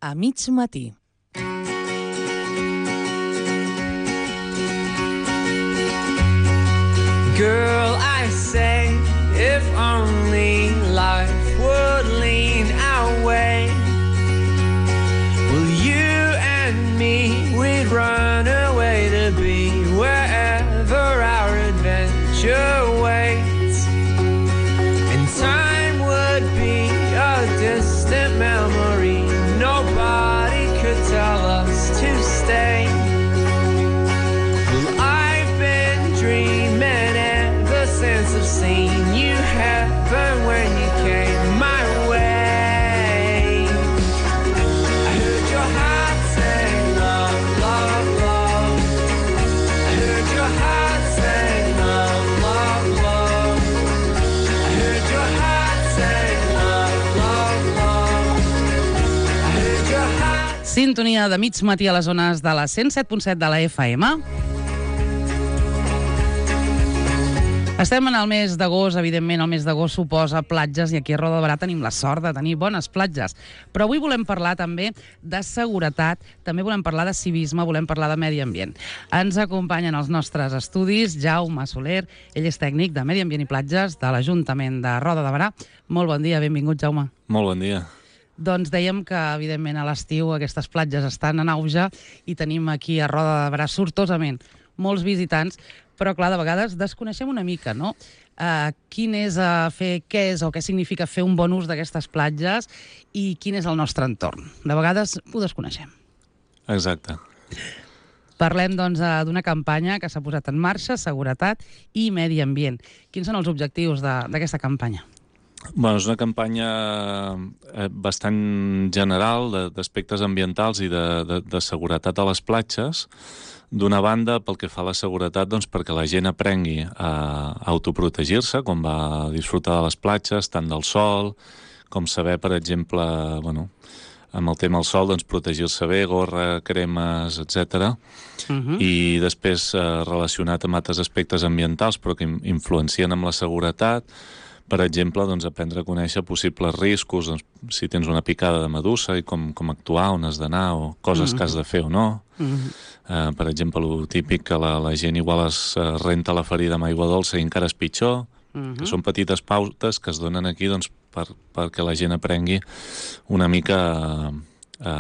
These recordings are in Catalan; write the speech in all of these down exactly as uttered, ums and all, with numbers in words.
a mig matí. Girl, I say, if only life would lean our way, well, you and me, we'd run away to be wherever our adventure waits, and time would be a distant memory. Nobody could tell us to stay. Well, I've been dreaming ever since I've seen you heaven when you came my way. I heard your heart say love, love, love. I heard your heart say love, love, love. I heard your heart say love, love, love. I heard your heart. Sintonia de mig matí a les zones de la cent set punt set de la F M. Estem en el mes d'agost, evidentment el mes d'agost suposa platges i aquí a Roda de Berà tenim la sort de tenir bones platges. Però avui volem parlar també de seguretat, també volem parlar de civisme, volem parlar de medi ambient. Ens acompanyen als nostres estudis Jaume Soler, ell és tècnic de Medi Ambient i Platges de l'Ajuntament de Roda de Berà. Molt bon dia, benvingut, Jaume. Molt bon dia. Doncs dèiem que, evidentment, a l'estiu aquestes platges estan en auge i tenim aquí a Roda de Berà sortosament molts visitants, però, clar, de vegades desconeixem una mica, no? Uh, quin és uh, fer, què és o què significa fer un bon ús d'aquestes platges i quin és el nostre entorn. De vegades ho desconeixem. Exacte. Parlem, doncs, uh, d'una campanya que s'ha posat en marxa, seguretat i medi ambient. Quins són els objectius d'aquesta campanya? Bueno, és una campanya eh, bastant general d'aspectes ambientals i de, de, de seguretat a les platges. D'una banda, pel que fa a la seguretat, doncs, perquè la gent aprengui a autoprotegir-se, com va disfrutar de les platges, tant del sol, com saber, per exemple, bueno, amb el tema del sol, doncs, protegir-se bé, gorra, cremes, etcètera. Uh-huh. I després, eh, relacionat amb altres aspectes ambientals, però que influencien amb la seguretat, per exemple, doncs, aprendre a conèixer possibles riscos, doncs, si tens una picada de medusa i com, com actuar, on has d'anar, o coses uh-huh. que has de fer o no. Uh-huh. Uh, per exemple, el típic que la, la gent igual es uh, renta la ferida amb aigua dolça i encara és pitjor, uh-huh. que són petites pautes que es donen aquí doncs, per, perquè la gent aprengui una mica a, a,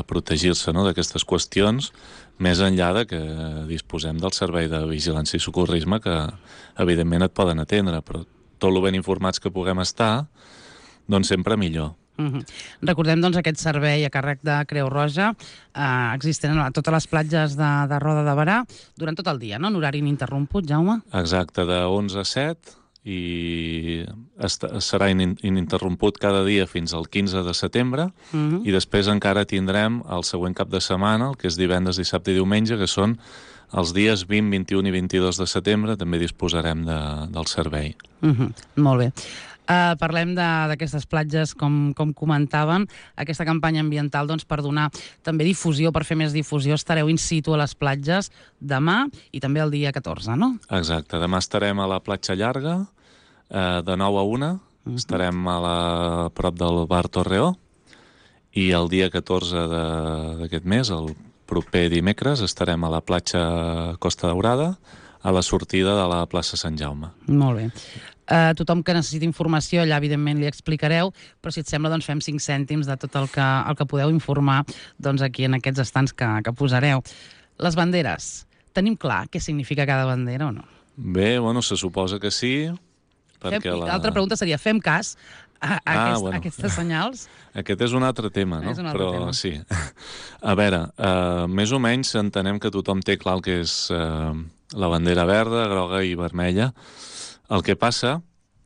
a protegir-se, no?, d'aquestes qüestions, més enllà de que disposem del servei de vigilància i socorrisme que, evidentment, et poden atendre, però tot el ben informats que puguem estar, doncs sempre millor. Uh-huh. Recordem, doncs, aquest servei a càrrec de Creu Roja eh, existent a totes les platges de, de Roda de Berà durant tot el dia, no? En horari ininterromput, Jaume? Exacte, de onze a set i serà in ininterromput cada dia fins al quinze de setembre uh-huh. i després encara tindrem el següent cap de setmana, el que és divendres, dissabte i diumenge, que són els dies vint, vint-i-un i vint-i-dos de setembre, també disposarem de, del servei. Uh-huh. Molt bé. Uh, parlem d'aquestes platges, com, com comentàvem, aquesta campanya ambiental, doncs, per donar també difusió, per fer més difusió, estareu in situ a les platges demà i també el dia catorze, no? Exacte, demà estarem a la platja llarga, eh, de nou a una, uh-huh. estarem a, la, a prop del bar Torreó, i el dia catorze d'aquest mes, el proper dimecres, estarem a la platja Costa Daurada, a la sortida de la plaça Sant Jaume. Molt bé. Uh, tothom que necessiti informació, allà evidentment li explicareu, però si et sembla doncs fem cinc cèntims de tot el que, el que podeu informar doncs, aquí en aquests estants que, que posareu. Les banderes, tenim clar què significa cada bandera o no? Bé, bueno, se suposa que sí. Perquè fem, la... L'altra pregunta seria, fem cas a, a, ah, aquest, bueno. a aquestes senyals? Aquest és un altre tema, no? És un altre però tema. Sí. A veure, uh, més o menys entenem que tothom té clar el que és uh, la bandera verda, groga i vermella. El que passa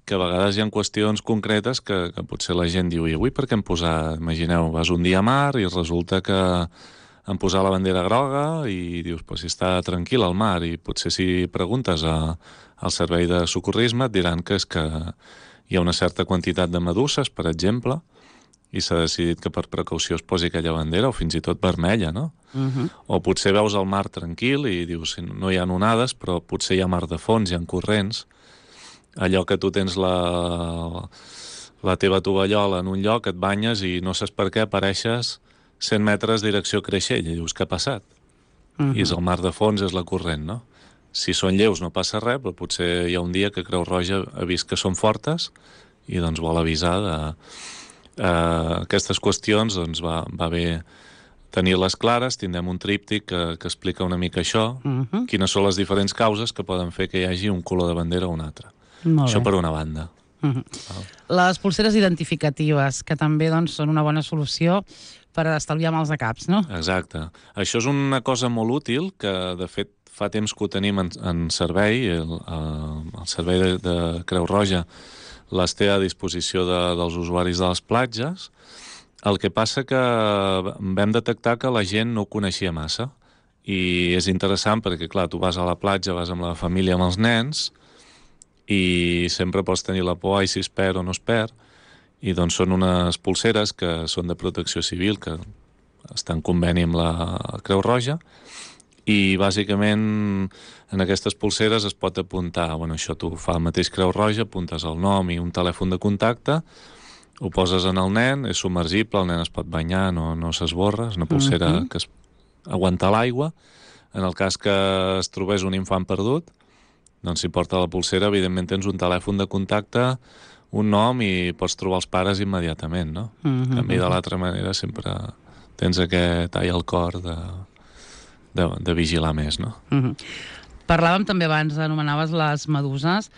que a vegades hi ha qüestions concretes que, que potser la gent diu i avui per què hem posat, imagineu, vas un dia a mar i resulta que han posat la bandera groga i dius, pues, si està tranquil al mar, i potser si preguntes a, al servei de socorrisme et diran que és que hi ha una certa quantitat de meduses, per exemple, i s'ha decidit que per precaució es posi aquella bandera, o fins i tot vermella, no? Uh-huh. O potser veus el mar tranquil i dius, no hi ha onades, però potser hi ha mar de fons, hi ha corrents. Allò que tu tens la, la teva tovallola en un lloc, et banyes i no saps per què apareixes cent metres direcció Creixell, i dius, què ha passat? Uh-huh. I és el mar de fons, és la corrent, no? Si són lleus no passa res, però potser hi ha un dia que Creu Roja ha vist que són fortes i doncs vol avisar de... Uh, aquestes qüestions doncs va, va bé tenir-les clares, tindrem un tríptic que, que explica una mica això, uh-huh. quines són les diferents causes que poden fer que hi hagi un color de bandera o un altre. Molt això bé. Per una banda. Uh-huh. Les pulseres identificatives, que també doncs, són una bona solució per estalviar mals de caps, no? Exacte. Això és una cosa molt útil que, de fet, fa temps que ho tenim en, en servei, el, el servei de, de Creu Roja les té a disposició de, dels usuaris de les platges. El que passa que vam detectar que la gent no ho coneixia massa i és interessant perquè, clar, tu vas a la platja, vas amb la família, amb els nens i sempre pots tenir la por, ai, si es perd o no es perd, i doncs són unes pulseres que són de protecció civil, que estan en conveni amb la Creu Roja, i bàsicament en aquestes pulseres es pot apuntar, bueno, això tu fa el mateix Creu Roja, apuntes el nom i un telèfon de contacte, ho poses en el nen, és submergible, el nen es pot banyar, no, no s'esborra, és una pulsera uh-huh. que es aguanta l'aigua. En el cas que es trobés un infant perdut, doncs si porta la pulsera, evidentment tens un telèfon de contacte, un nom i pots trobar els pares immediatament, no? Uh-huh. En canvi, de l'altra manera, sempre tens aquest tall al cor de, de, de vigilar més, no? Uh-huh. Parlàvem també abans, anomenaves les meduses.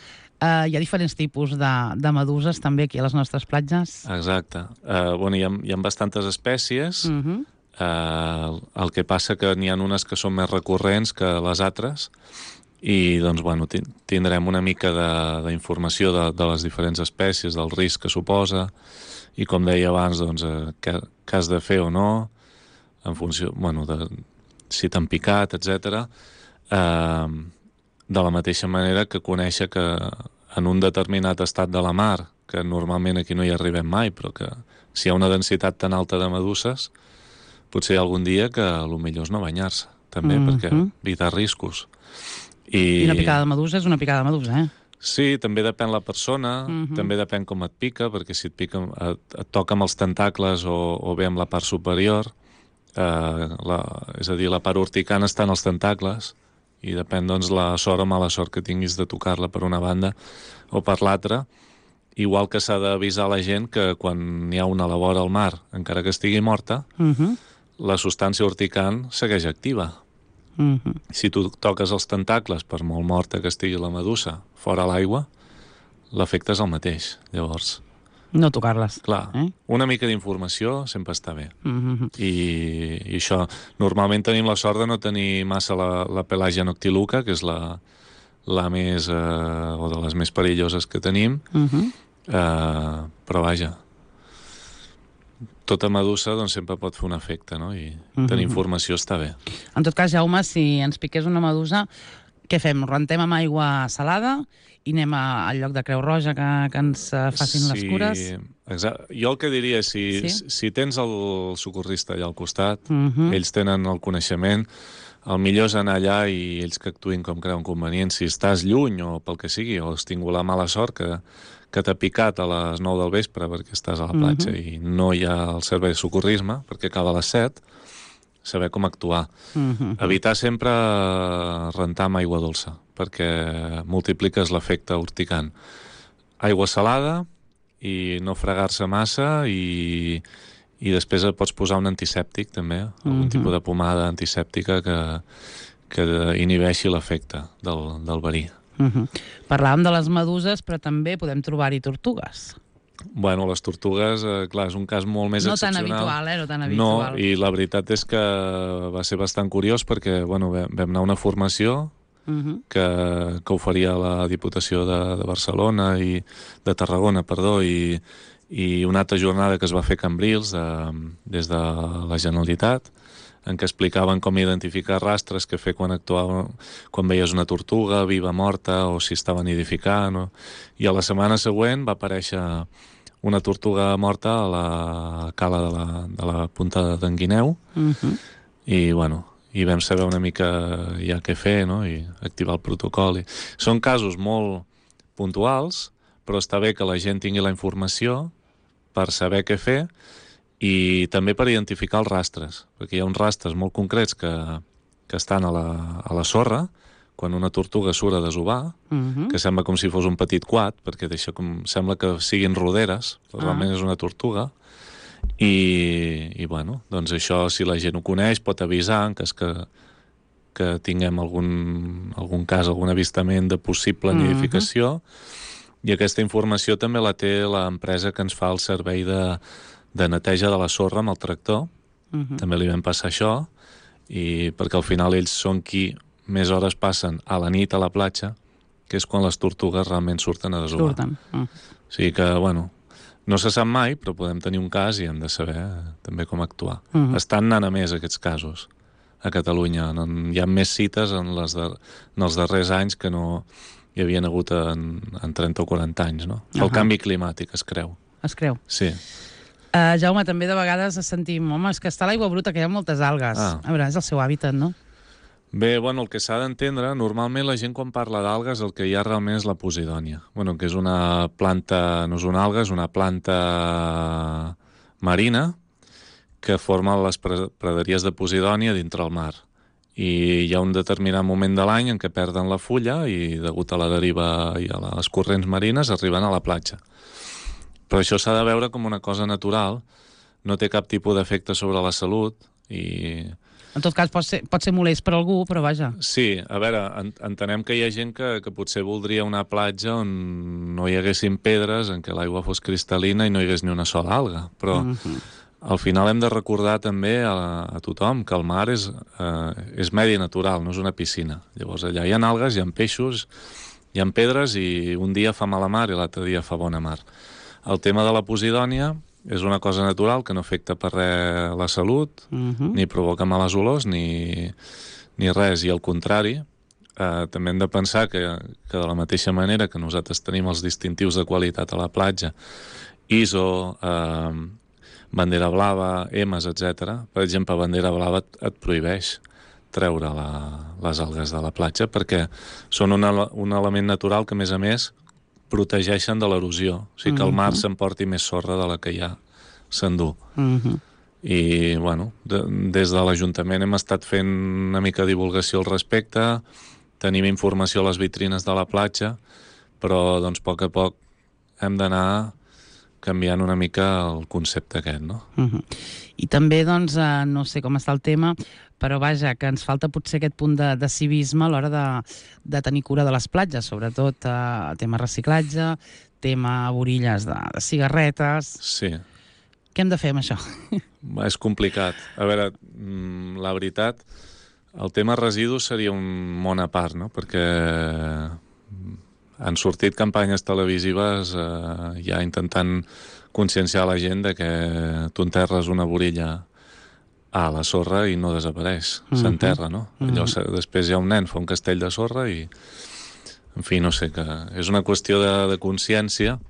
Uh, hi ha diferents tipus de, de meduses també aquí a les nostres platges? Exacte. Uh, bueno, hi ha, hi ha bastantes espècies. Uh-huh. uh, el que passa que n'hi ha unes que són més recurrents que les altres i doncs, bueno, tindrem una mica d'informació de, de, de les diferents espècies, del risc que suposa i, com deia abans, doncs, eh, què, què has de fer o no, en funció, bueno, de si t'han picat, etcètera. Eh, de la mateixa manera que conèixer que en un determinat estat de la mar, que normalment aquí no hi arribem mai, però que si hi ha una densitat tan alta de meduses, potser hi ha algun dia que el millor és no banyar-se, també, mm-hmm. perquè evitar riscos. I... I una picada de medusa és una picada de medusa, eh? Sí, també depèn la persona, uh-huh. també depèn com et pica, perquè si et pica, et, et toca amb els tentacles o, o bé amb la part superior, eh, la, és a dir, la part urticant està en els tentacles, i depèn, doncs, la sort o mala sort que tinguis de tocar-la per una banda o per l'altra, igual que s'ha d'avisar la gent que quan hi ha una a la vora al mar, encara que estigui morta, uh-huh. la substància urticant segueix activa. Uh-huh. Si tu toques els tentacles, per molt morta que estigui la medusa, fora l'aigua, l'efecte és el mateix. Llavors, no tocar-les. Clar, eh? Una mica d'informació sempre està bé. Uh-huh. I, I això, normalment tenim la sort de no tenir massa la, la Pelagia noctiluca, que és la, la més, eh, o de les més perilloses que tenim, uh-huh. eh, però vaja, tota medusa doncs, sempre pot fer un efecte, no? I uh-huh. tenir informació està bé. En tot cas, Jaume, si ens piqués una medusa, què fem? Rentem amb aigua salada i anem a, al lloc de Creu Roja que, que ens facin sí, les cures? Exacte. Jo el que diria, si, sí? si tens el socorrista allà al costat, uh-huh. ells tenen el coneixement, el millor és anar allà i ells que actuïn com creuen convenient. Si estàs lluny o pel que sigui, o has tingut la mala sort que que t'ha picat a les nou del vespre perquè estàs a la platja uh-huh. i no hi ha el servei de socorrisme perquè acaba a les set, saber com actuar. Uh-huh. Evitar sempre rentar amb aigua dolça perquè multipliques l'efecte urticant. Aigua salada i no fregar-se massa i, i després et pots posar un antisèptic també, algun uh-huh. tipus de pomada antisèptica que, que inhibeixi l'efecte del, del verí. Uh-huh. Parlàvem de les meduses, però també podem trobar-hi tortugues. Bueno, les tortugues, eh, clar, és un cas molt més no excepcional. No tan habitual, eh? No tan habitual. No, i la veritat és que va ser bastant curiós perquè, bueno, vam anar a una formació uh-huh. que, que oferia la Diputació de, de Barcelona i de Tarragona, perdó, i, i una altra jornada que es va fer a Cambrils de, des de la Generalitat, en què explicaven com identificar rastres que fer quan actuava, quan veies una tortuga viva, morta, o si estava nidificant. O... I a la setmana següent va aparèixer una tortuga morta a la cala de la, de la punta d'en Guineu, uh-huh. i, bueno, i vam saber una mica ja què fer, no? I activar el protocol. I... Són casos molt puntuals, però està bé que la gent tingui la informació per saber què fer, i també per identificar els rastres, perquè hi ha uns rastres molt concrets que, que estan a la, a la sorra, quan una tortuga surt a desovar, Mhm. que sembla com si fos un petit quad, perquè deixa com, sembla que siguin roderes, però Ah. realment és una tortuga, i, i bueno, doncs això, si la gent ho coneix, pot avisar en cas que, que tinguem algun, algun cas, algun avistament de possible Mhm. nidificació, i aquesta informació també la té l'empresa que ens fa el servei de, de neteja de la sorra amb el tractor. Mhm. També li vam passar això, i perquè al final ells són qui més hores passen a la nit a la platja, que és quan les tortugues realment surten a desovar. Surten. Mm. O sigui que, bueno, no se sap mai, però podem tenir un cas i hem de saber eh, també com actuar. Mhm. Estan anant a més aquests casos a Catalunya. No, hi ha més cites en, les de, en els darrers anys que no hi havien hagut en, en trenta o quaranta anys, no? El Ahà. canvi climàtic, es creu. Es creu. Sí. Uh, Jaume, també de vegades sentim, home, és que està a l'aigua bruta, que hi ha moltes algues. Ah. A veure, és el seu hàbitat, no? Bé, bueno, el que s'ha d'entendre, normalment la gent quan parla d'algues el que hi ha realment és la posidònia. Bueno, que és una planta, no és una alga, és una planta marina que forma les pre- praderies de posidònia dintre el mar. I hi ha un determinat moment de l'any en què perden la fulla i, degut a la deriva i a les corrents marines, arriben a la platja. Però això s'ha de veure com una cosa natural, no té cap tipus d'efecte sobre la salut i... En tot cas, pot ser, pot ser molest per algú, però vaja. Sí, a veure, en, entenem que hi ha gent que, que potser voldria una platja on no hi haguessin pedres, en què l'aigua fos cristal·lina i no hi hagués ni una sola alga, però Mhm. al final hem de recordar també a, a tothom que el mar és, eh, és medi natural, no és una piscina. Llavors allà hi ha algues, hi ha peixos, hi ha pedres i un dia fa mala mar i l'altre dia fa bona mar. El tema de la posidònia és una cosa natural que no afecta per res la salut, Mhm. ni provoca males olors, ni, ni res, i al contrari, eh, també hem de pensar que, que de la mateixa manera que nosaltres tenim els distintius de qualitat a la platja, I S O, eh, bandera blava, emes, etcètera. Per exemple, bandera blava et, et prohibeix treure la, les algues de la platja perquè són un, ele- un element natural que, a més a més, protegeixen de l'erosió. O sigui que el mar s'emporti més sorra de la que ja s'endú. Mhm. I, bueno, de, des de l'Ajuntament hem estat fent una mica de divulgació al respecte, tenim informació a les vitrines de la platja, però, doncs, a poc a poc hem d'anar canviant una mica el concepte aquest, no? Mhm. I també, doncs, eh, no sé com està el tema, però vaja, que ens falta potser aquest punt de, de civisme a l'hora de, de tenir cura de les platges, sobretot eh, tema reciclatge, tema borilles de, de cigarretes. Sí, Què hem de fer amb això? és complicat. A veure, mm, la veritat, el tema residus seria un món a part, no? Perquè han sortit campanyes televisives eh, ja intentant conscienciar la gent de que tu enterres una borilla a la sorra i no desapareix, Mhm. s'enterra, no? Allò, Mhm. se- després hi ha un nen, fa un castell de sorra i... En fi, no sé, que és una qüestió de, de consciència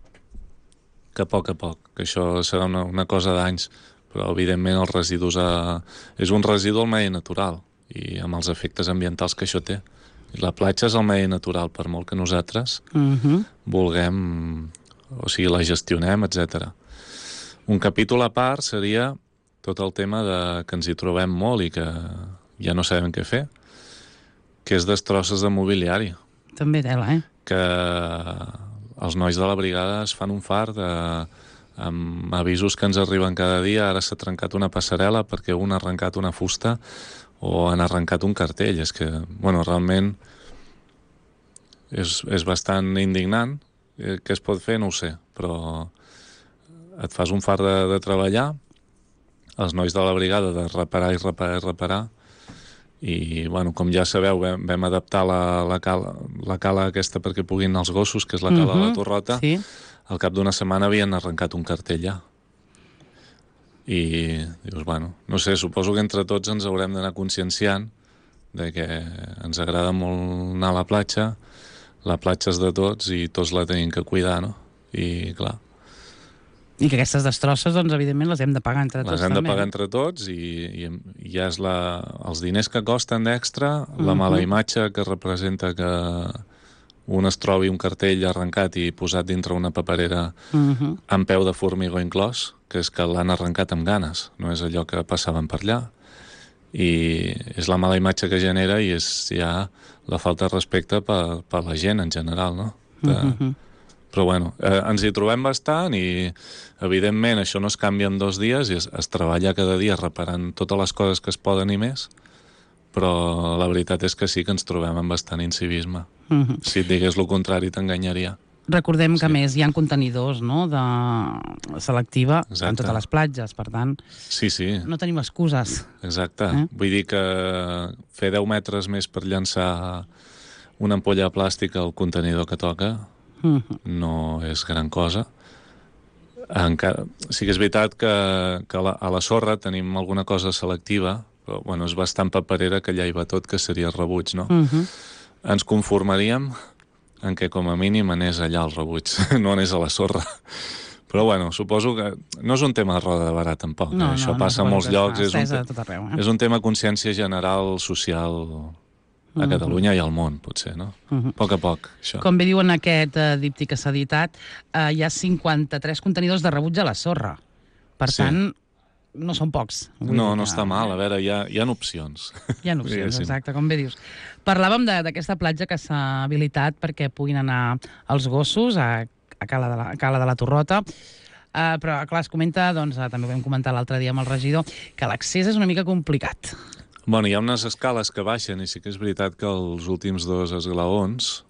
que a poc a poc, que això serà una, una cosa d'anys, però evidentment els residus a... és un residu al medi natural i amb els efectes ambientals que això té. I la platja és el medi natural, per molt que nosaltres Mhm. vulguem, o sigui, la gestionem, etcètera. Un capítol a part seria tot el tema de que ens hi trobem molt i que ja no sabem què fer, que és destrosses de mobiliari, També tela, eh? que els nois de la brigada es fan un far de, amb avisos que ens arriben cada dia. Ara s'ha trencat una passarel·la perquè un ha arrencat una fusta o han arrencat un cartell. És que, bueno, realment és, és bastant indignant. Eh, Què es pot fer? No ho sé, però et fas un far de, de treballar, els nois de la brigada de reparar i reparar i reparar, i, bueno, com ja sabeu, vam, vam adaptar la, la, cala, la cala aquesta perquè puguin els gossos, que és la cala de la Mhm. Torrota. Sí. Al cap d'una setmana havien arrencat un cartell ja. I dius, bueno, no sé, suposo que entre tots ens haurem d'anar conscienciant de que ens agrada molt anar a la platja, la platja és de tots i tots la tenim que cuidar, no? I, clar, I que aquestes destrosses, doncs, evidentment, les hem de pagar entre tots. les hem de també. pagar entre tots i, i, i ja és la, els diners que costen d'extra, la mala imatge que representa que un es trobi un cartell arrencat i posat dintre una paperera Mhm. amb peu de formigó inclòs, que és que l'han arrencat amb ganes, no és allò que passaven per allà. I és la mala imatge que genera i és ja la falta de respecte per, per la gent en general, no? De... Mhm. Però bueno, eh, ens hi trobem bastant i evidentment això no es canvia en dos dies i es, es treballa cada dia reparant totes les coses que es poden i més, però la veritat és que sí que ens trobem amb bastant incivisme. Mhm. Si et digués el contrari t'enganyaria. Recordem que, Sí. a més, hi ha contenidors, no?, de selectiva en Exacte. totes les platges, per tant, Sí, sí, no tenim excuses. exacte. Eh? Vull dir que fer deu metres més per llançar una ampolla de plàstic al contenidor que toca Mhm. no és gran cosa. Encara... Sí que és veritat que, que a, la, a la sorra tenim alguna cosa selectiva, però bueno, és bastant paperera que allà hi va tot, que seria rebuig, no? Mhm. Ens conformaríem en què com a mínim anés allà el rebuig, no anés a la sorra. Però bueno, suposo que no és un tema de roda de barà tampoc. No, eh? Això no, passa no, a molts suposo que llocs. està És un, estesa te- a tot arreu, eh? és un tema de consciència general, social, a Catalunya i al món, potser, no? A poc a poc, això. Com bé diuen aquest eh, díptic que s'ha editat, eh, hi ha cinquanta-tres contenidors de rebuig a la sorra. Per Sí. tant, no són pocs. Vull No, dir no que- està mal. A veure, hi ha, hi ha opcions. Hi ha opcions, Diguéssim. exacte, com bé dius. Parlàvem de- d'aquesta platja que s'ha habilitat perquè puguin anar els gossos a, a Cala de la, a Cala de la Torrota, uh, però, clar, es comenta, doncs, uh, també ho vam comentar l'altre dia amb el regidor, que l'accés és una mica complicat. Bueno, hi ha unes escales que baixen i sí que és veritat que els últims dos esglaons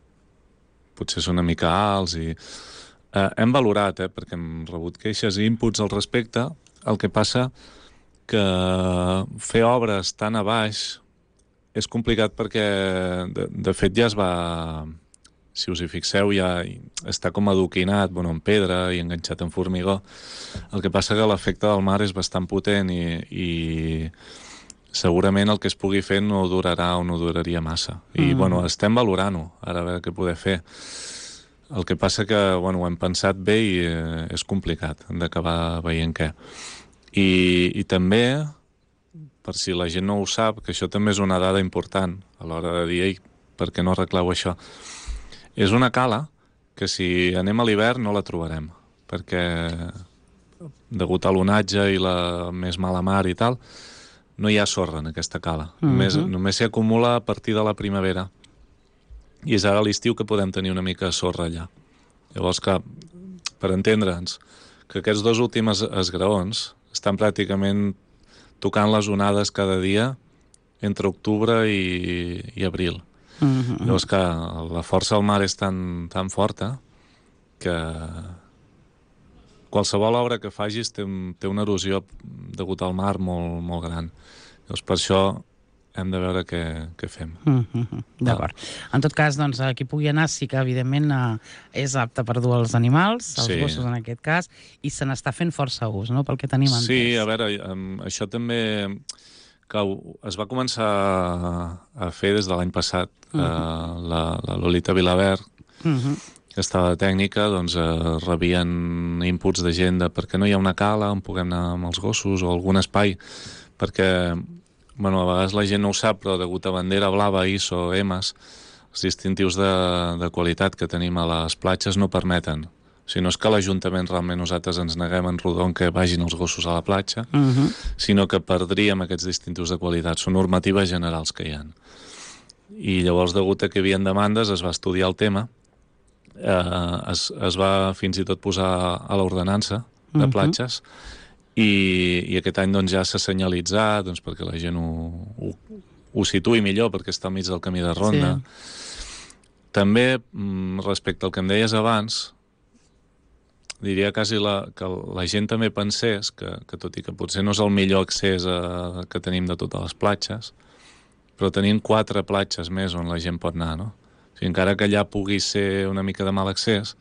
potser són una mica alts i eh, hem valorat, eh, perquè hem rebut queixes i inputs al respecte. El que passa que fer obres tan a baix és complicat perquè de, de fet ja es va, si us hi fixeu, ja està com adoquinat, bueno, en pedra i enganxat en formigó. El que passa que l'efecte del mar és bastant potent i, i segurament el que es pugui fer no durarà o no duraria massa. I, mm. bueno, estem valorant-ho, ara a veure què poder fer. El que passa que, bueno, ho hem pensat bé i eh, és complicat, hem d'acabar veient què. I, I també, per si la gent no ho sap, que això també és una dada important a l'hora de dir, ei, per què no arregleu això? És una cala que si anem a l'hivern no la trobarem, perquè degut a l'onatge i la més mala mar i tal, no hi ha sorra en aquesta cala. Uh -huh. Només, només s'hi acumula a partir de la primavera. I és ara a l'estiu que podem tenir una mica de sorra allà. Llavors que, per entendre'ns, que aquests dos últims esgraons estan pràcticament tocant les onades cada dia entre octubre i, i abril. Uh -huh. Llavors que la força del mar és tan, tan forta que qualsevol obra que facis té, té una erosió degut al mar molt, molt gran. Llavors per això hem de veure què, què fem. Mm -hmm. D'acord. En tot cas, doncs, a qui pugui anar sí que, evidentment, eh, és apte per dur els animals, els Sí. gossos en aquest cas, i se n'està fent força ús, no?, pel que tenim entès. Sí, a veure, um, això també que es va començar a fer des de l'any passat. Uh -huh. uh, la, la Lolita Vilabert, uh -huh. que estava de tècnica, doncs eh, rebien inputs de gent de per què no hi ha una cala on puguem anar amb els gossos o algun espai, perquè bueno, a vegades la gent no ho sap, però degut a bandera blava, I S O, E M A S, els distintius de, de qualitat que tenim a les platges no permeten. O sigui, no és que l'Ajuntament realment nosaltres ens neguem en rodon que vagin els gossos a la platja, uh -huh. sinó que perdríem aquests distintius de qualitat. Són normatives generals que hi ha. I llavors, degut a que hi havia demandes, es va estudiar el tema, eh, es, es va fins i tot posar a l'ordenança de platges, uh -huh. i, i aquest any doncs, ja s'ha senyalitzat doncs, perquè la gent ho, ho, ho situï millor, perquè està al mig del camí de ronda. Sí. També, respecte al que em deies abans, diria quasi la, que la gent també pensés que, que tot i que potser no és el millor accés a, que tenim de totes les platges, però tenim quatre platges més on la gent pot anar, no? O sigui, encara que allà pugui ser una mica de mal accés,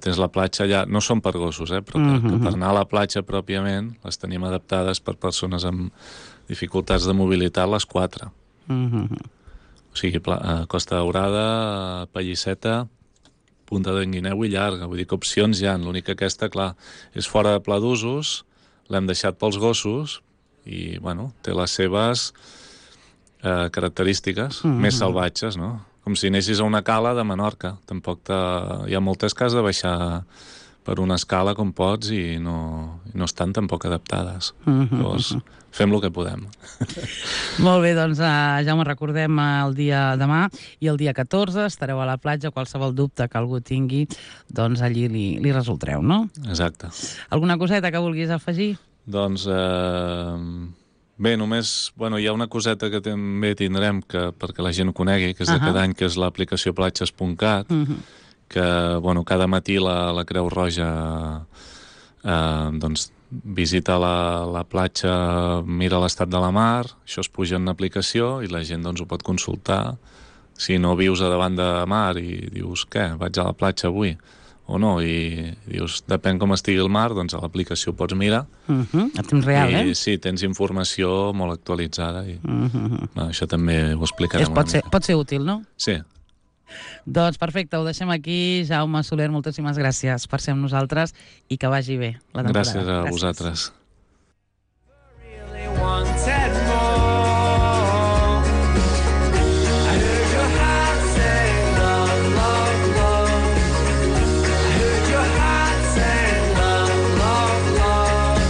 tens la platja allà, no són per gossos, eh, però que, uh -huh. que per anar a la platja pròpiament les tenim adaptades per persones amb dificultats de mobilitat, les quatre. Uh -huh. O sigui, Costa Daurada, Pallisseta, Punta d'en Guineu i Llarga. Vull dir que opcions hi ha. L'únic que aquesta, clar, és fora de pla d'usos, l'hem deixat pels gossos i, bueno, té les seves eh, característiques uh -huh. més salvatges, no? Com si anessis a una cala de Menorca. Tampoc te... hi ha moltes que has de baixar per una escala com pots i no, i no estan tampoc adaptades. Mhm. Llavors, fem el que podem. Molt bé, doncs uh, ja me recordem el dia demà i el dia catorze estareu a la platja. Qualsevol dubte que algú tingui, doncs allí li, li resoldreu, no? Exacte. Alguna coseta que vulguis afegir? Doncs, eh, bé, només, bueno, hi ha una coseta que també tindrem que, perquè la gent ho conegui, que és de Ahà. cada any, que és l'aplicació platges punt cat, Mhm. que, bueno, cada matí la, la Creu Roja eh, doncs visita la, la platja, mira l'estat de la mar, això es puja en una aplicació i la gent doncs ho pot consultar. Si no vius a davant de mar i dius, què, vaig a la platja avui o no, i dius, depèn com estigui el mar, doncs a l'aplicació pots mirar. Mhm. A temps real, I eh? sí, tens informació molt actualitzada i Mhm. bueno, això també ho explicarem És, pot, una ser, mica. pot ser útil, no? Sí, Doncs perfecte, ho deixem aquí. Jaume Soler, moltíssimes gràcies per ser amb nosaltres i que vagi bé la temporada. gràcies a vosaltres. Really wanted more. I heard your heart say love, love, love. I heard your heart say love, love, love.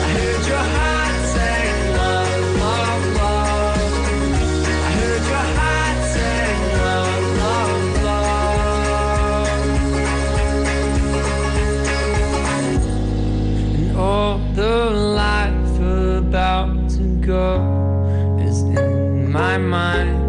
I heard your heart say love, love, love. I heard your heart say love, love, love. And all the life about to go is in my mind.